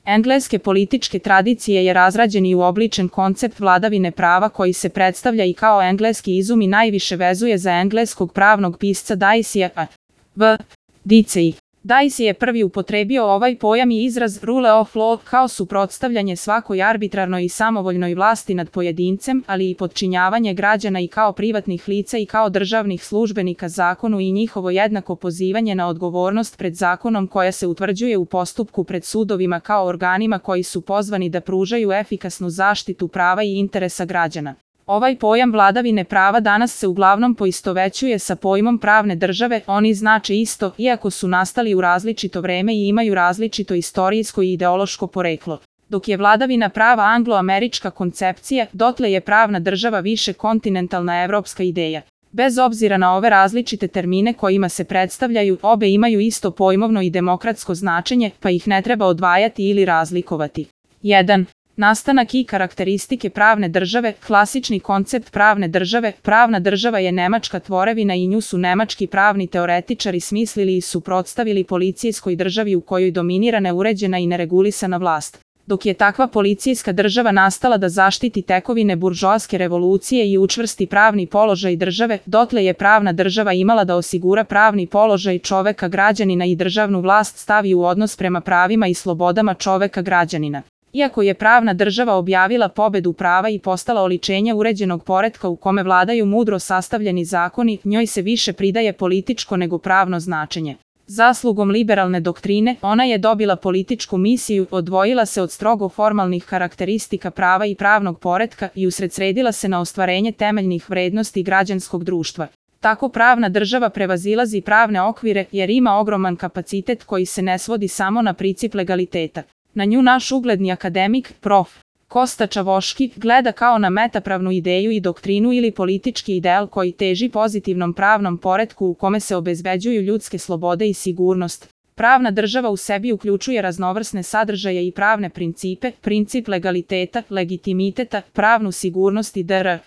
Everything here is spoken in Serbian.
engleske političke tradicije je razrađen i uobličen koncept vladavine prava koji se predstavlja i kao engleski izum i najviše vezuje za engleskog pravnog pisca Diceyja v. Dicey. Dicey je prvi upotrebio ovaj pojam i izraz rule of law kao suprotstavljanje svakoj arbitrarnoj i samovoljnoj vlasti nad pojedincem, ali i podčinjavanje građana i kao privatnih lica i kao državnih službenika zakonu i njihovo jednako pozivanje na odgovornost pred zakonom koja se utvrđuje u postupku pred sudovima kao organima koji su pozvani da pružaju efikasnu zaštitu prava i interesa građana. Ovaj pojam vladavine prava danas se uglavnom poistovećuje sa pojmom pravne države, oni znače isto, iako su nastali u različito vreme i imaju različito istorijsko i ideološko poreklo. Dok je vladavina prava anglo-američka koncepcija, dotle je pravna država više kontinentalna evropska ideja. Bez obzira na ove različite termine kojima se predstavljaju, obe imaju isto pojmovno i demokratsko značenje, pa ih ne treba odvajati ili razlikovati. 1. Nastanak i karakteristike pravne države. Klasični koncept pravne države. Pravna država je nemačka tvorevina i nju su nemački pravni teoretičari smislili i suprotstavili policijskoj državi u kojoj dominira neuređena i neregulisana vlast. Dok je takva policijska država nastala da zaštiti tekovine buržoaske revolucije i učvrsti pravni položaj države, dotle je pravna država imala da osigura pravni položaj čoveka građanina i državnu vlast stavi u odnos prema pravima i slobodama čoveka građanina. Iako je pravna država objavila pobedu prava i postala oličenje uređenog poretka u kome vladaju mudro sastavljeni zakoni, njoj se više pridaje političko nego pravno značenje. Zaslugom liberalne doktrine, ona je dobila političku misiju, odvojila se od strogo formalnih karakteristika prava i pravnog poretka i usredsredila se na ostvarenje temeljnih vrednosti građanskog društva. Tako pravna država prevazilazi pravne okvire jer ima ogroman kapacitet koji se ne svodi samo na princip legaliteta. Na nju naš ugledni akademik, prof. Kosta Čavoški, gleda kao na metapravnu ideju i doktrinu ili politički ideal koji teži pozitivnom pravnom poretku u kome se obezbeđuju ljudske slobode i sigurnost. Pravna država u sebi uključuje raznovrsne sadržaje i pravne principe, princip legaliteta, legitimiteta, pravnu sigurnost i dr.